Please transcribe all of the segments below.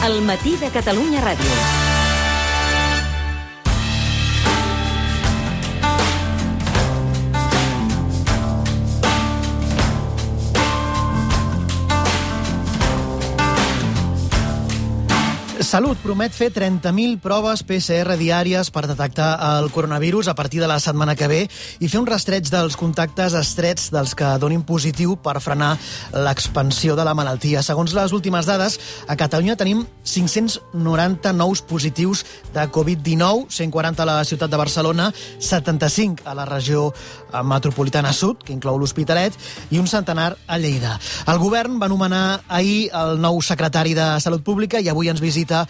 El matí de Catalunya Ràdio. Salut promet fer 30.000 proves PCR diàries per detectar el coronavirus a partir de la setmana que ve i fer un rastreig dels contactes estrets dels que donin positiu per frenar l'expansió de la malaltia. Segons les últimes dades, a Catalunya tenim 590 nous positius de Covid-19, 140 a la ciutat de Barcelona, 75 a la regió metropolitana sud, que inclou l'Hospitalet, i un centenar a Lleida. El govern va nomenar ahir el nou secretari de Salut Pública i avui ens visita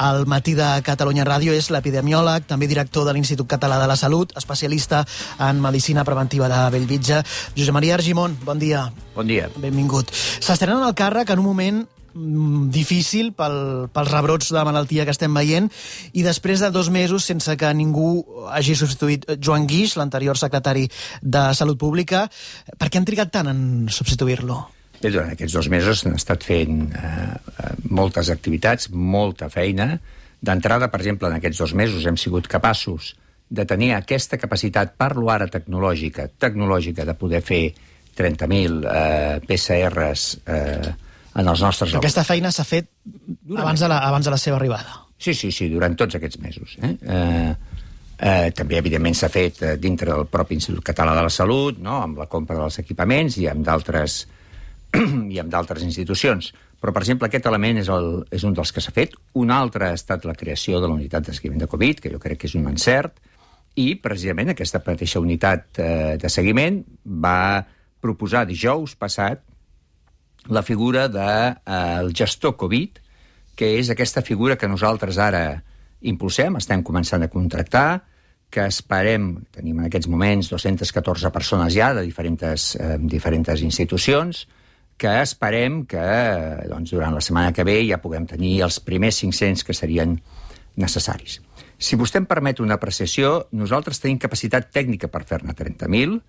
al matí de Catalunya Ràdio. És l'epidemiòleg, també director de l'Institut Català de la Salut, especialista en medicina preventiva de Bellvitge. Josep Maria Argimon, bon dia. Bon dia. Benvingut. S'estrenen al càrrec en un moment difícil pels rebrots de malaltia que estem veient i després de 2 mesos sense que ningú hagi substituït Joan Guix, l'anterior secretari de Salut Pública. Per què han trigat tant en substituir-lo? Bé, durant aquests 2 mesos han estat fent moltes activitats, molta feina. D'entrada, per exemple, en aquests 2 mesos hem sigut capaços de tenir aquesta capacitat, parlo ara tecnològica, de poder fer 30.000 PCRs en els nostres... Aquesta feina s'ha fet abans de la seva arribada. Sí, durant tots aquests mesos. També, evidentment, s'ha fet dintre del propi Institut Català de la Salut, no? Amb la compra dels equipaments i amb d'altres institucions. Però, per exemple, aquest element és un dels que s'ha fet. Un altre ha estat la creació de la unitat de seguiment de Covid, que jo crec que és un encert, i, precisament, aquesta mateixa unitat de seguiment va proposar dijous passat la figura del gestor Covid, que és aquesta figura que nosaltres ara impulsem, estem començant a contractar, que esperem, tenim en aquests moments 214 persones ja de diferents institucions, que esperem que durant la setmana que ve ja puguem tenir els primers 500 que serien necessaris. Si vostè em permet una apreciació, nosaltres tenim capacitat tècnica per fer-ne 30.000,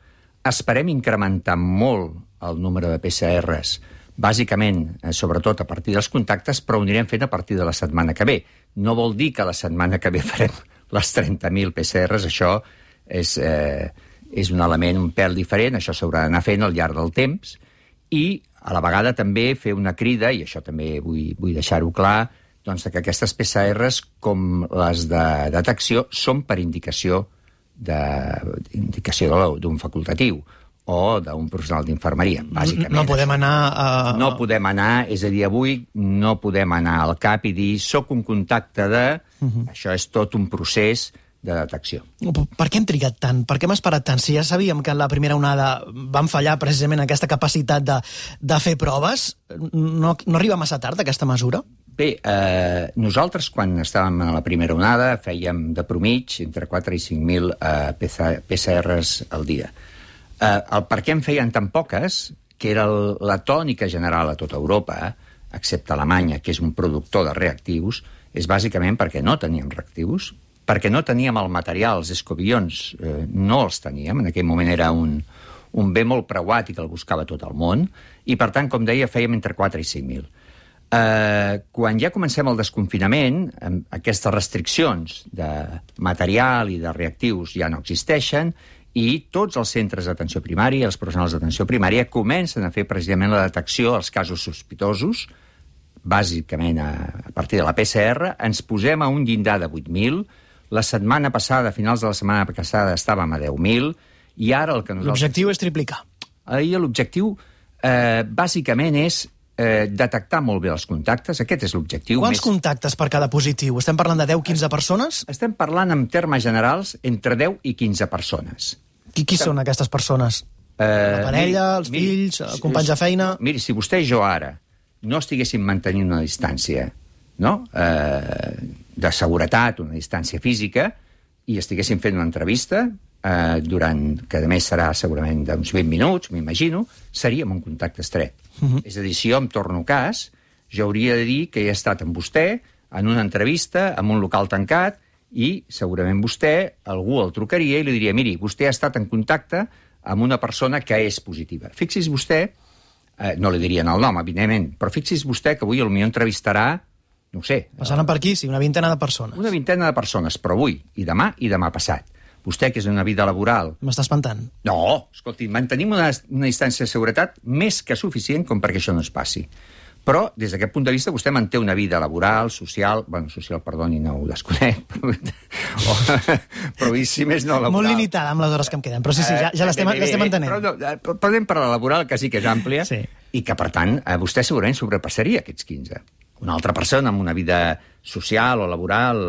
esperem incrementar molt el número de PCRs, bàsicament, sobretot a partir dels contactes, però ho anirem fent a partir de la setmana que ve. No vol dir que la setmana que ve farem les 30.000 PCRs, això és un element un pèl diferent, això s'haurà d'anar fent al llarg del temps, i a la vegada també fer una crida, i això també vull deixar-ho clar, doncs que aquestes PCRs, com les de detecció, són per indicació d'un facultatiu o d'un professional d'infermeria, bàsicament. No podem anar... No podem anar, és a dir, avui no podem anar al CAP i dir soc un contacte de... Això és tot un procés de detecció. Per què hem trigat tant? Per què hem esperat tant? Si ja sabíem que en la primera onada vam fallar precisament aquesta capacitat de fer proves, no arriba massa tard aquesta mesura? Bé, nosaltres quan estàvem en la primera onada fèiem de promig entre 4 i 5.000 PCRs al dia. El per què en feien tan poques, que era la tònica general a tota Europa, excepte Alemanya, que és un productor de reactius, és bàsicament perquè no teníem reactius, perquè no teníem el material, els escobillons no els teníem, en aquell moment era un bé molt preuat i que el buscava tot el món, i per tant, com deia, fèiem entre 4 i 5.000. Quan ja comencem el desconfinament, aquestes restriccions de material i de reactius ja no existeixen, i tots els centres d'atenció primària, els professionals d'atenció primària, comencen a fer precisament la detecció dels casos sospitosos, bàsicament a partir de la PCR, ens posem a un llindar de 8.000, la setmana passada, a finals de la setmana passada, estàvem a 10.000, i ara el que nosaltres... L'objectiu és triplicar. L'objectiu, bàsicament, és detectar molt bé els contactes. Aquest és l'objectiu. Quants contactes per cada positiu? Estem parlant de 10-15 persones? Estem parlant, en termes generals, entre 10 i 15 persones. Qui són aquestes persones? La parella, els fills, companys de feina? Miri, si vostè i jo ara no estiguéssim mantenint una distància, no?, de seguretat, una distància física, i estiguéssim fent una entrevista, que a més serà segurament d'uns 20 minuts, m'imagino, seríem un contacte estret. És a dir, si jo em torno cas, jo hauria de dir que he estat amb vostè en una entrevista, en un local tancat, i segurament vostè, algú el trucaria i li diria, miri, vostè ha estat en contacte amb una persona que és positiva. Fixi's vostè, no li dirien el nom, evidentment, però fixi's vostè que avui potser entrevistarà no ho sé. Passaran per aquí, sí, una vintena de persones. Una vintena de persones, però avui, i demà passat. Vostè, que és una vida laboral... M'està espantant. No, escolti, mantenim una distància de seguretat més que suficient com perquè això no es passi. Però, des d'aquest punt de vista, vostè manté una vida laboral, social... Bueno, social, perdoni, no ho desconec, però si més no laboral... Molt limitada amb les hores que em queden, però sí, ja l'estem entenent. Però podem parlar de laboral, que sí que és àmplia, sí. I que, per tant, vostè segurament sobrepassaria aquests 15. Una altra persona amb una vida social o laboral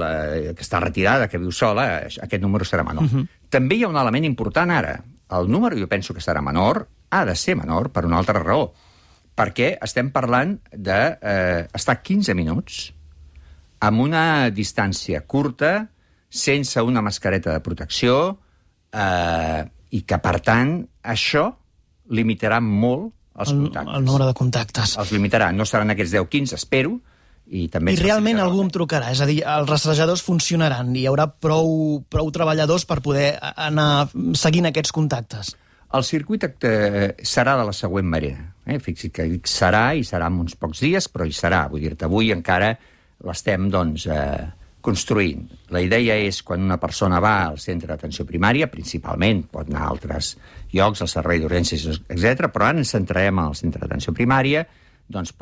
que està retirada, que viu sola, aquest número serà menor. També hi ha un element important ara. El número, jo penso que serà menor, ha de ser menor per una altra raó, perquè estem parlant d'estar 15 minuts amb una distància curta, sense una mascareta de protecció, i que, per tant, això limitarà molt els contactes. El nombre de contactes. Els limitarà. No seran aquests 10-15, espero, i també... I realment algú em trucarà, és a dir, els rastrejadors funcionaran, hi haurà prou treballadors per poder anar seguint aquests contactes. El circuit serà de la següent manera. Fixi que serà, i serà en uns pocs dies, però hi serà. Vull dir-te, avui encara l'estem, doncs, construint. La idea és, quan una persona va al centre d'atenció primària, principalment, pot anar a altres llocs, al servei d'urgències, etc., però ara ens centrarem al centre d'atenció primària, doncs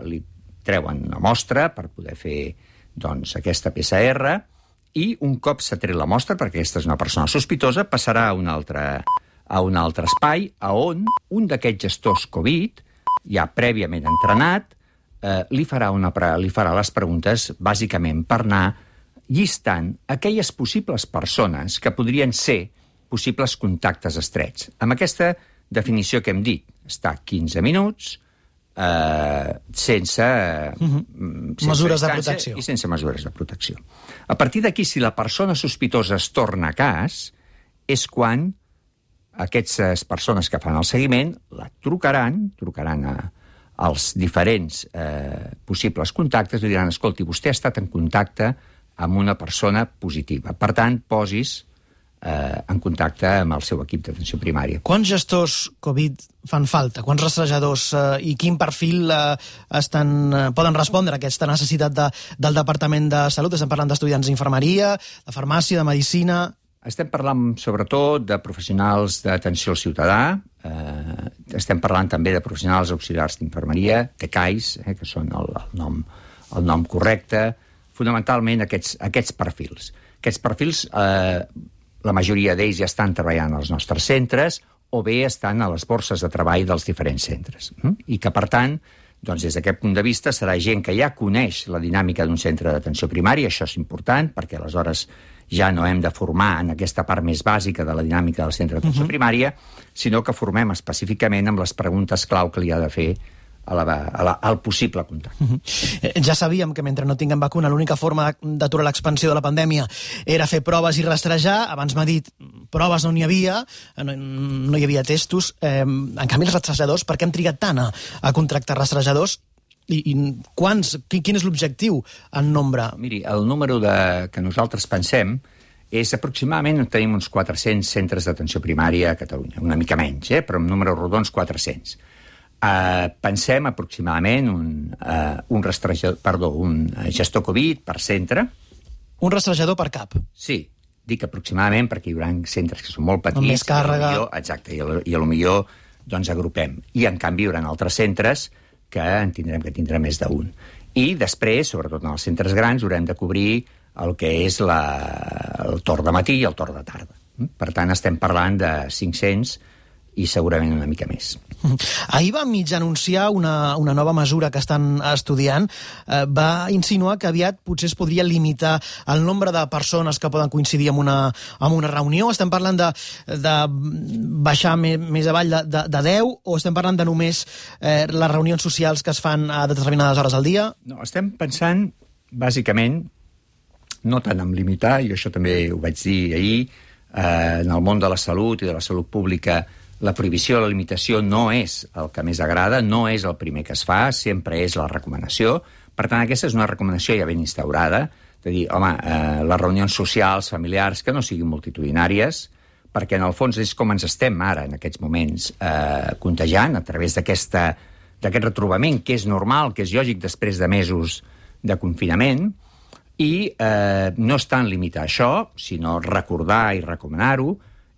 li treuen una mostra per poder fer, doncs, aquesta PCR, i un cop s'ha tret la mostra, perquè aquesta és una persona sospitosa, passarà a un altre espai on un d'aquests gestors Covid, ja prèviament entrenat, li farà les preguntes, bàsicament, per anar llistant aquelles possibles persones que podrien ser possibles contactes estrets. Amb aquesta definició que hem dit, està 15 minuts, sense mesures de protecció. I sense mesures de protecció. A partir d'aquí, si la persona sospitosa es torna a cas, és quan aquestes persones que fan el seguiment la trucaran als diferents possibles contactes i diran, escolti, vostè ha estat en contacte amb una persona positiva. Per tant, posis en contacte amb el seu equip d'atenció primària. Quants gestors Covid fan falta? Quants rastrejadors i quin perfil poden respondre a aquesta necessitat del Departament de Salut? Estem parlant d'estudiants d'infermeria, de farmàcia, de medicina... Estem parlant, sobretot, de professionals d'atenció al ciutadà, estem parlant també de professionals auxiliars d'infermeria, TCAIs, que són el nom correcte, fonamentalment aquests perfils. Aquests perfils, la majoria d'ells ja estan treballant als nostres centres o bé estan a les borses de treball dels diferents centres. I que, per tant, doncs, des d'aquest punt de vista, serà gent que ja coneix la dinàmica d'un centre d'atenció primària, això és important, perquè aleshores ja no hem de formar en aquesta part més bàsica de la dinàmica del centre d'atenció primària, sinó que formem específicament amb les preguntes clau que li ha de fer al possible contacte. Ja sabíem que mentre no tinguem vacuna l'única forma d'aturar l'expansió de la pandèmia era fer proves i rastrejar. Abans m'ha dit, proves no n'hi havia, no hi havia testos. En canvi, els rastrejadors, per què hem trigat tant a contractar rastrejadors? I quin és l'objectiu en nombre? Miri, el número que nosaltres pensem és aproximadament, tenim uns 400 centres d'atenció primària a Catalunya, una mica menys, però amb números rodons 400. Pensem aproximadament un gestor Covid per centre. Un rastrejador per cap? Sí, dic aproximadament perquè hi haurà centres que són molt petits. Amb més càrrega. Exacte, i potser doncs agrupem. I en canvi hi haurà altres centres que tindrem més d'un. I després, sobretot en els centres grans, haurem de cobrir el que és el torn de matí i el torn de tarda. Per tant, estem parlant de 500 i segurament una mica més. Ahir va mig anunciar una nova mesura que estan estudiant. Va insinuar que aviat potser es podria limitar el nombre de persones que poden coincidir en una reunió. Estem parlant de baixar més avall de 10 o estem parlant de només les reunions socials que es fan a determinades hores al dia? No, estem pensant, bàsicament, no tant en limitar, i això també ho vaig dir ahir, en el món de la salut i de la salut pública, la prohibició o la limitació no és el que més agrada, no és el primer que es fa, sempre és la recomanació. Per tant, aquesta és una recomanació ja ben instaurada, de dir, home, les reunions socials, familiars, que no siguin multitudinàries, perquè en el fons és com ens estem ara, en aquests moments, contagiant a través d'aquest retrobament, que és normal, que és lògic després de mesos de confinament, i no és tant limitar això, sinó recordar i recomanar-ho,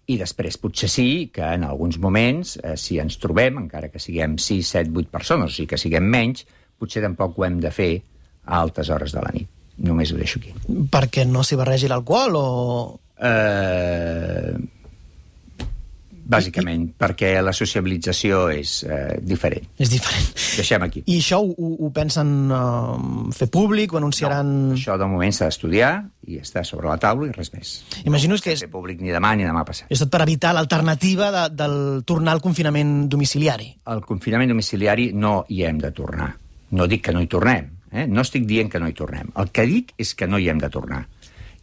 i després potser sí que en alguns moments, si ens trobem, encara que siguem 6, 7, 8 persones, o sigui que siguem menys, potser tampoc ho hem de fer a altes hores de la nit. Només ho deixo aquí. Perquè no s'hi barregi l'alcohol o...? Bàsicament, perquè la sociabilització és diferent. És diferent. Deixem aquí. I això ho pensen fer públic, ho anunciaran... No, això de moment s'ha d'estudiar i està sobre la taula i res més. Imagino que no és... fer públic ni demà ni demà passat. És tot per evitar l'alternativa del tornar al confinament domiciliari. Al confinament domiciliari no hi hem de tornar. No dic que no hi tornem. No estic dient que no hi tornem. El que dic és que no hi hem de tornar.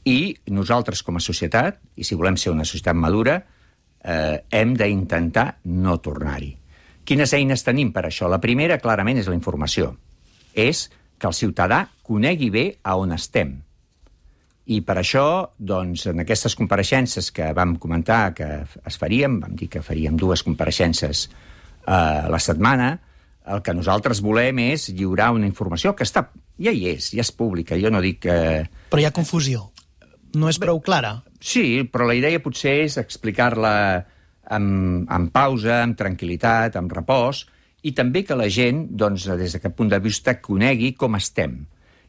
I nosaltres, com a societat, i si volem ser una societat madura, hem d'intentar no tornar-hi. Quines eines tenim per això? La primera, clarament, és la informació. És que el ciutadà conegui bé a on estem. I per això, doncs, en aquestes compareixences que vam comentar que es farien, vam dir que faríem 2 compareixences a la setmana, el que nosaltres volem és lliurar una informació que ja hi és, ja és pública. Jo no dic que... Però hi ha confusió. No és prou clara. Sí, però la idea potser és explicar-la amb pausa, amb tranquil·litat, amb repòs, i també que la gent, doncs, des d'aquest punt de vista, conegui com estem.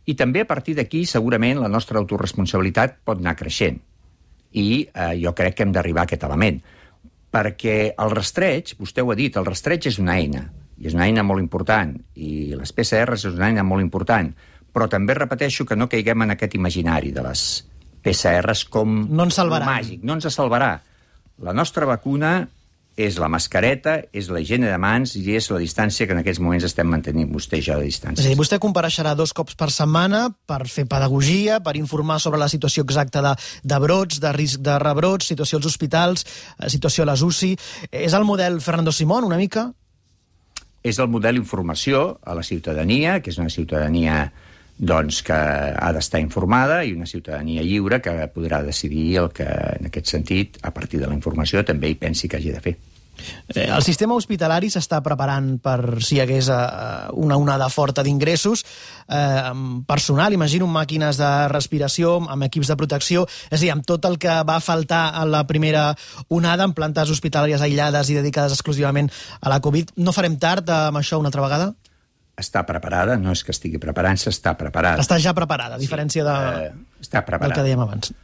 I també a partir d'aquí, segurament, la nostra autoresponsabilitat pot anar creixent. I jo crec que hem d'arribar a aquest element. Perquè el rastreig, vostè ho ha dit, el rastreig és una eina, i és una eina molt important, i les PCRs és una eina molt important, però també repeteixo que no caiguem en aquest imaginari de les PCRs com no ens salvarà. Màgic, no ens salvarà. La nostra vacuna és la mascareta, és la higiene de mans i és la distància que en aquests moments estem mantenint vostè i jo de distància. És a dir, vostè compareixerà 2 cops per setmana per fer pedagogia, per informar sobre la situació exacta de brots, de risc de rebrots, situació als hospitals, situació a les UCI. És el model Fernando Simón, una mica? És el model informació a la ciutadania, que és una ciutadania doncs, que ha d'estar informada i una ciutadania lliure que podrà decidir el que, en aquest sentit, a partir de la informació, també hi pensi que hagi de fer. El sistema hospitalari s'està preparant per si hi hagués una onada forta d'ingressos, personal, imagino, amb màquines de respiració, amb equips de protecció, és a dir, amb tot el que va faltar a la primera onada, en plantes hospitalàries aïllades i dedicades exclusivament a la Covid. No farem tard amb això una altra vegada? Està preparada, no és que estigui preparant-se, està preparada. Està ja preparada, a diferència està preparada. del que dèiem abans.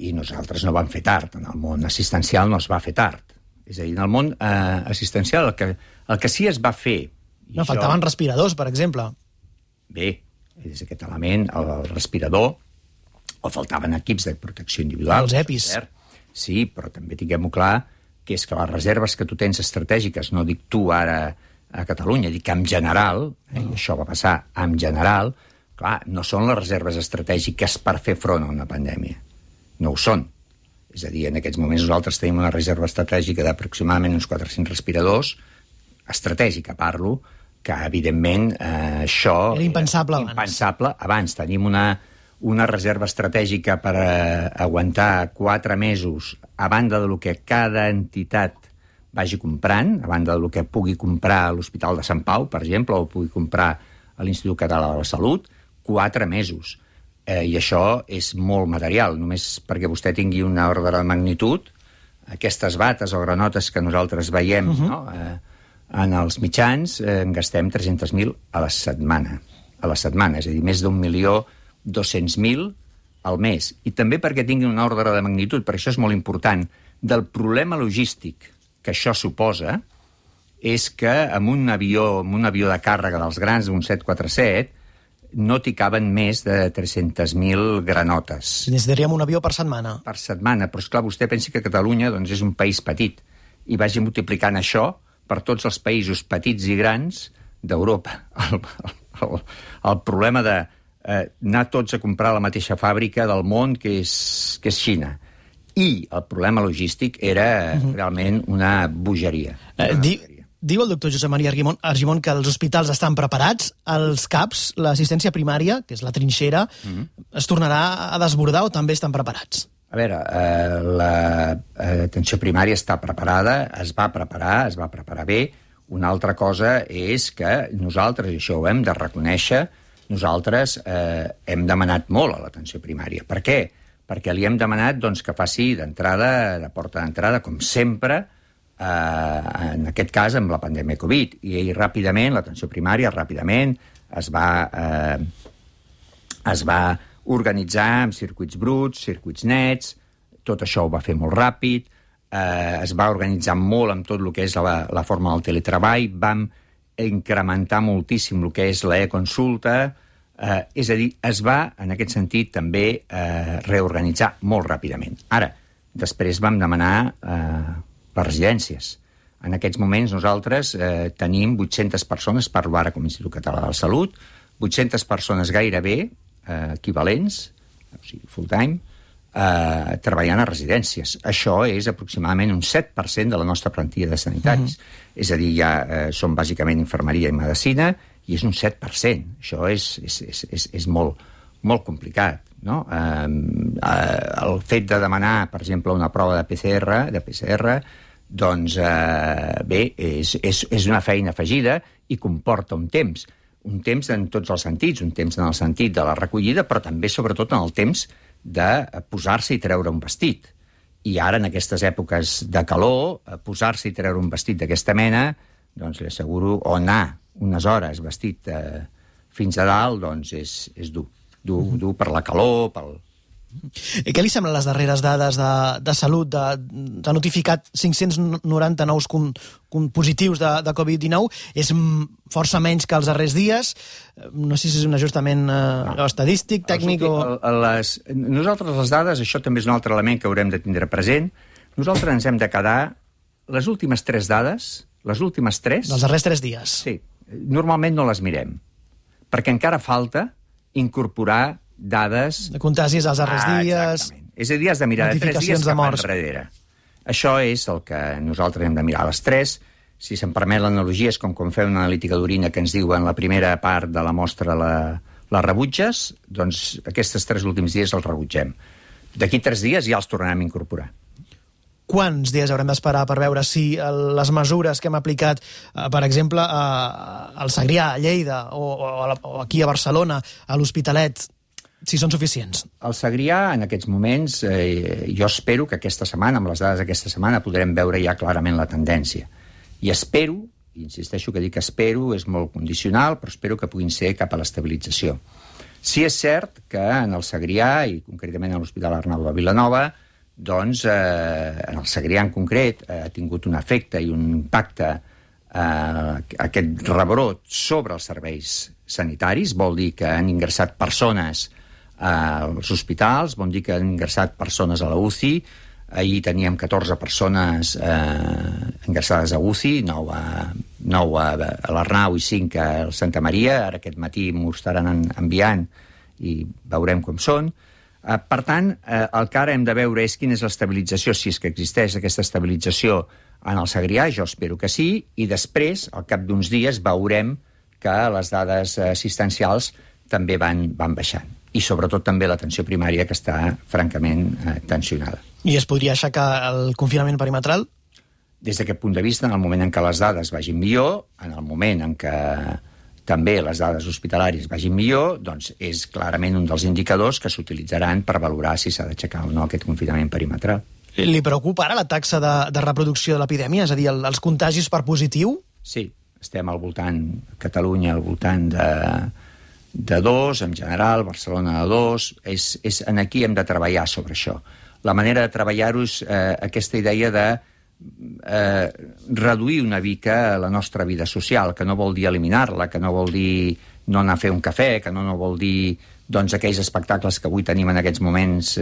I nosaltres no vam fer tard. En el món assistencial no es va fer tard. És a dir, en el món assistencial el que sí es va fer... No, faltaven respiradors, per exemple. Bé, és aquest element, el respirador, o faltaven equips de protecció individual. Els EPIs. Sí, però també tinguem-ho clar, que és que les reserves que tu tens estratègiques, no dic tu ara a Catalunya, dic en general, i això va passar en general, clar, no són les reserves estratègiques per fer front a una pandèmia. No ho són. És a dir, en aquests moments nosaltres tenim una reserva estratègica d'aproximadament uns 400 respiradors, estratègica parlo, que evidentment això... Era impensable abans. Impensable abans. Tenim una reserva estratègica per aguantar 4 mesos a banda del que cada entitat vagi comprant, a banda del que pugui comprar a l'Hospital de Sant Pau, per exemple, o pugui comprar a l'Institut Català de la Salut, 4 mesos. I això és molt material. Només perquè vostè tingui una ordre de magnitud, aquestes bates o granotes que nosaltres veiem en els mitjans, en gastem 300.000 a la setmana. És a dir, més d'1.200.000 al mes. I també perquè tingui una ordre de magnitud, per això és molt important, del problema logístic que això suposa, és que amb un avió de càrrega dels grans, un 747, no t'hi caben més de 300.000 granotes. Necessitaríem un avió per setmana. Per setmana, però esclar, vostè pensi que Catalunya doncs, és un país petit, i vagi multiplicant això per tots els països petits i grans d'Europa. El problema de anar tots a comprar a la mateixa fàbrica del món que és Xina. I el problema logístic era realment una bogeria. Diu el doctor Josep Maria Argimon que els hospitals estan preparats, els CAPs, l'assistència primària, que és la trinxera, es tornarà a desbordar o també estan preparats? A veure, l'atenció primària està preparada, es va preparar bé. Una altra cosa és que nosaltres, i això ho hem de reconèixer, nosaltres hem demanat molt a l'atenció primària. Per què? Perquè li hem demanat doncs, que faci d'entrada, de porta d'entrada, com sempre, en aquest cas amb la pandèmia Covid. I ràpidament, l'atenció primària ràpidament es va organitzar amb circuits bruts, circuits nets, tot això ho va fer molt ràpid, es va organitzar molt amb tot el que és la forma del teletreball, vam incrementar moltíssim el que és l'e-consulta, és a dir, es va, en aquest sentit, també reorganitzar molt ràpidament. Ara, després vam demanar les residències. En aquests moments nosaltres tenim 800 persones, parlo ara com a Institut Català de la Salut, 800 persones gairebé equivalents, o sigui, full-time, treballant a residències. Això és aproximadament un 7% de la nostra plantilla de sanitaris. És a dir, ja són bàsicament infermeria i medicina, i és un 7%. Això és molt complicat, no? El fet de demanar, per exemple, una prova de PCR, doncs, bé, és una feina afegida i comporta un temps en tots els sentits, un temps en el sentit de la recollida, però també, sobretot, en el temps de posar-se i treure un vestit. I ara, en aquestes èpoques de calor, posar-se i treure un vestit d'aquesta mena, doncs li asseguro, o anar unes hores vestit fins a dalt, doncs és dur. Dur per la calor, pel... I què li semblen les darreres dades de salut? S'ha notificat 590 nous positius de Covid-19. És força menys que els darrers dies. No sé si és un ajustament estadístic, tècnic o... Nosaltres les dades, això també és un altre element que haurem de tindre present. Nosaltres ens hem de quedar les últimes 3 dades, les últimes 3... Dels darrers 3 dies. Sí. Normalment no les mirem, perquè encara falta incorporar dades... De contagis als darrers dies... Exactament. És a dir, has de mirar de 3 dies cap enrere. Això és el que nosaltres hem de mirar. A les 3, si se'm permet l'analogia, és com quan fem una analítica d'orina que ens diuen la primera part de la mostra la rebutges, doncs aquests 3 últims dies els rebutgem. D'aquí 3 dies ja els tornarem a incorporar. Quants dies haurem d'esperar per veure si les mesures que hem aplicat, per exemple, al Segrià, a Lleida, o aquí a Barcelona, a l'Hospitalet, si són suficients? Al Segrià, en aquests moments, jo espero que aquesta setmana, amb les dades d'aquesta setmana, podrem veure ja clarament la tendència. I espero, insisteixo que dic espero, és molt condicional, però espero que puguin ser cap a l'estabilització. Sí és cert que en el Segrià, i concretament a l'Hospital Arnau de Vilanova, doncs, en el Segrià en concret, ha tingut un efecte i un impacte aquest rebrot sobre els serveis sanitaris. Vol dir que han ingressat persones als hospitals, vol dir que han ingressat persones a la UCI. Ahir teníem 14 persones ingressades a UCI, 9 a l'Arnau i 5 al Santa Maria. Ara aquest matí m'ho estaran enviant i veurem com són. Per tant, el que ara hem de veure és quina és l'estabilització, si és que existeix aquesta estabilització en el Segrià, jo espero que sí, i després, al cap d'uns dies, veurem que les dades assistencials també van baixant. I sobretot també l'atenció primària, que està francament tensionada. I es podria aixecar el confinament perimetral? Des d'aquest punt de vista, en el moment en què les dades vagin millor, en el moment en què també les dades hospitalàries vagin millor, doncs és clarament un dels indicadors que s'utilitzaran per valorar si s'ha d'aixecar o no aquest confinament perimetral. Li preocupa ara la taxa de reproducció de l'epidèmia? És a dir, els contagis per positiu? Sí, estem al voltant, Catalunya al voltant de 2, en general, Barcelona de 2. Aquí hem de treballar sobre això. La manera de treballar-ho és aquesta idea de reduir una mica la nostra vida social, que no vol dir eliminar-la, que no vol dir no anar a fer un cafè, que no vol dir doncs, aquells espectacles que avui tenim en aquests moments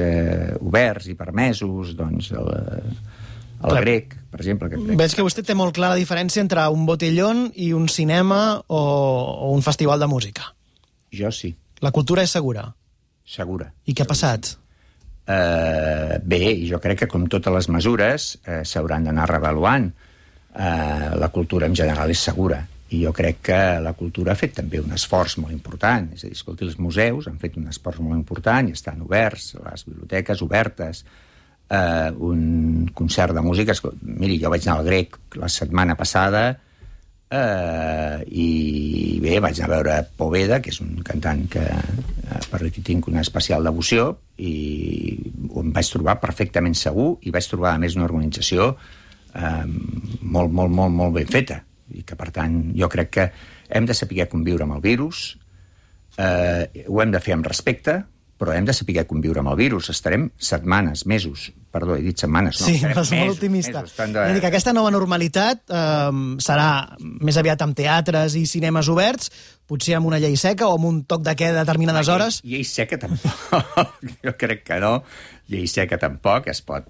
oberts i permesos, doncs el grec, per exemple. Veig que vostè té molt clara la diferència entre un botellón i un cinema o un festival de música. Jo sí. La cultura és segura? Segura. I què ha passat? Bé, jo crec que com totes les mesures s'hauran d'anar revaluant. La cultura en general és segura i jo crec que la cultura ha fet també un esforç molt important. És a dir, escolti, els museus han fet un esforç molt important i estan oberts, les biblioteques obertes, un concert de música. Miri, jo vaig anar al Grec la setmana passada, i bé, vaig anar a veure Poveda, que és un cantant per qui tinc una especial devoció, i em vaig trobar perfectament segur, i vaig trobar, a més, una organització molt ben feta, i que, per tant, jo crec que hem de saber conviure amb el virus, ho hem de fer amb respecte, però hem de saber conviure amb el virus. Estarem setmanes, mesos, perdó, he dit setmanes, no? Sí, vas molt optimista. Que aquesta nova normalitat serà més aviat amb teatres i cinemes oberts, potser amb una llei seca o amb un toc de queda a determinades hores? Llei seca tampoc, jo crec que no. Llei seca tampoc, es pot,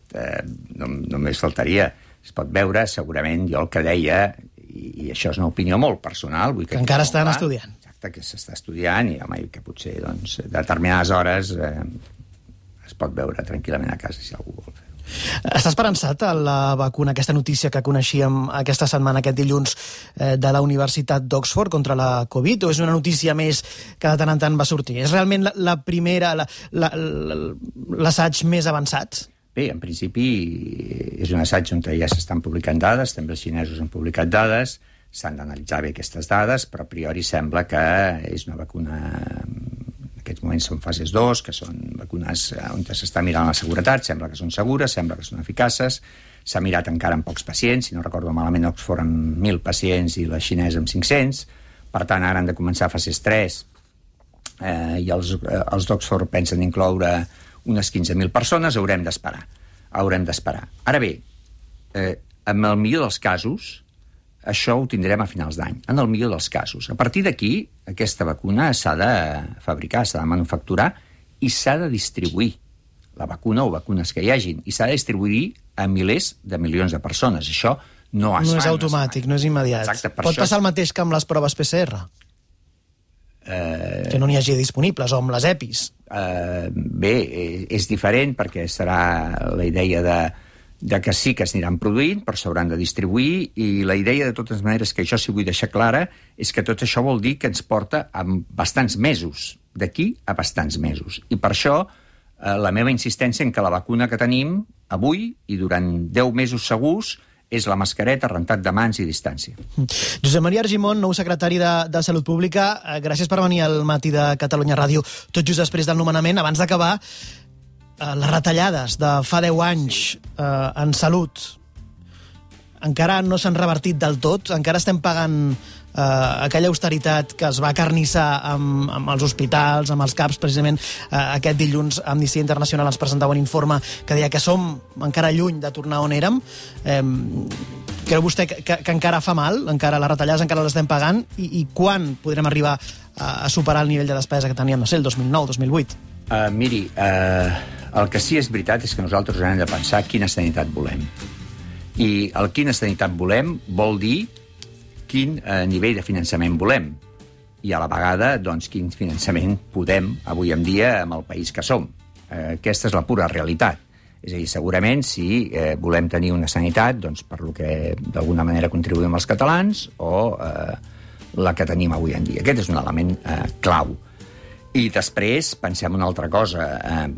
només faltaria, es pot veure, segurament, jo el que deia, i això és una opinió molt personal, vull que encara estan estudiant. Exacte, que s'està estudiant, i home, que potser, doncs, a determinades hores es pot veure tranquil·lament a casa, si algú vol fer. Està esperançat a la vacuna, aquesta notícia que coneixíem aquesta setmana, aquest dilluns, de la Universitat d'Oxford contra la Covid, o és una notícia més que de tant en tant va sortir? És realment la primera, l'assaig més avançat? Bé, en principi és un assaig on ja s'estan publicant dades, també els xinesos han publicat dades, s'han d'analitzar bé aquestes dades, però a priori sembla que és una vacuna, en aquests moments són fases 2, que són vacunes on s'està mirant la seguretat, sembla que són segures, sembla que són eficaces, s'ha mirat encara amb pocs pacients, si no recordo malament Oxford amb 1.000 pacients i la xinesa amb 500, per tant ara han de començar fases 3, i els d'Oxford pensen incloure unes 15.000 persones, haurem d'esperar. Ara bé, en el millor dels casos, això ho tindrem a finals d'any, en el millor dels casos. A partir d'aquí, aquesta vacuna s'ha de fabricar, s'ha de manufacturar i s'ha de distribuir, la vacuna o vacunes que hi hagin, i s'ha de distribuir a milers de milions de persones. Això no es fa. No és automàtic, no és immediat. Exacte, pot passar el mateix que amb les proves PCR? Que no n'hi hagi disponibles, o amb les EPIs? Bé, és diferent perquè serà la idea de que sí que s'aniran produint, però s'hauran de distribuir, i la idea, de totes maneres, que això sí vull deixar clara, és que tot això vol dir que ens porta a bastants mesos, d'aquí a bastants mesos. I per això la meva insistència en que la vacuna que tenim avui i durant 10 mesos segurs és la mascareta, rentat de mans i distància. Josep Maria Argimon, nou secretari de Salut Pública, gràcies per venir al Matí de Catalunya Ràdio, tot just després del nomenament. Abans d'acabar, les retallades de fa 10 anys en salut encara no s'han revertit del tot, encara estem pagant aquella austeritat que es va acarnissar amb els hospitals, amb els CAPs. Precisament aquest dilluns Amnistia Internacional ens presentava un informe que deia que som encara lluny de tornar on érem. Creu vostè que encara fa mal? Encara les retallades encara les estem pagant? I quan podrem arribar a superar el nivell de despesa que teníem, no sé, el 2009, 2008? Miri, el que sí és veritat és que nosaltres hem de pensar quina sanitat volem. I el quina sanitat volem vol dir quin nivell de finançament volem i a la vegada doncs, quin finançament podem avui en dia amb el país que som. Aquesta és la pura realitat. És a dir, segurament si volem tenir una sanitat doncs, per lo que d'alguna manera contribuïm els catalans o la que tenim avui en dia. Aquest és un element clau. I després pensem una altra cosa.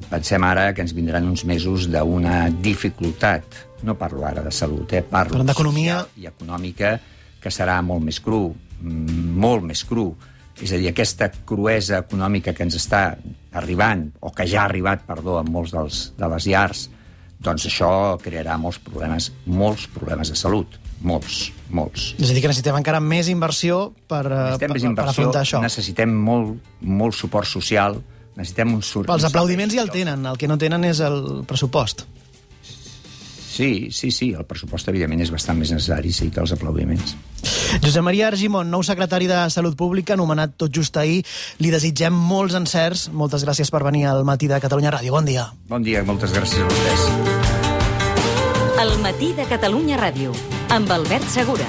Pensem ara que ens vindran uns mesos d'una dificultat. No parlo ara de salut, parlo d'economia i econòmica, que serà molt més cru, molt més cru. És a dir, aquesta cruesa econòmica que ens està arribant, o que ja ha arribat, perdó, en molts de les llars, doncs això crearà molts problemes de salut. Molts. És a dir, que necessitem encara més inversió per afrontar això. Necessitem molt suport social, necessitem un suport... Els aplaudiments ja el tenen, el que no tenen és el pressupost. Sí, el pressupost evidentment és bastant més necessari, sí, que els aplaudiments. Josep Maria Argimon, nou secretari de Salut Pública, nomenat tot just ahir. Li desitgem molts encerts. Moltes gràcies per venir al Matí de Catalunya Ràdio. Bon dia. Bon dia, moltes gràcies a vostès. El Matí de Catalunya Ràdio, amb Albert Segura.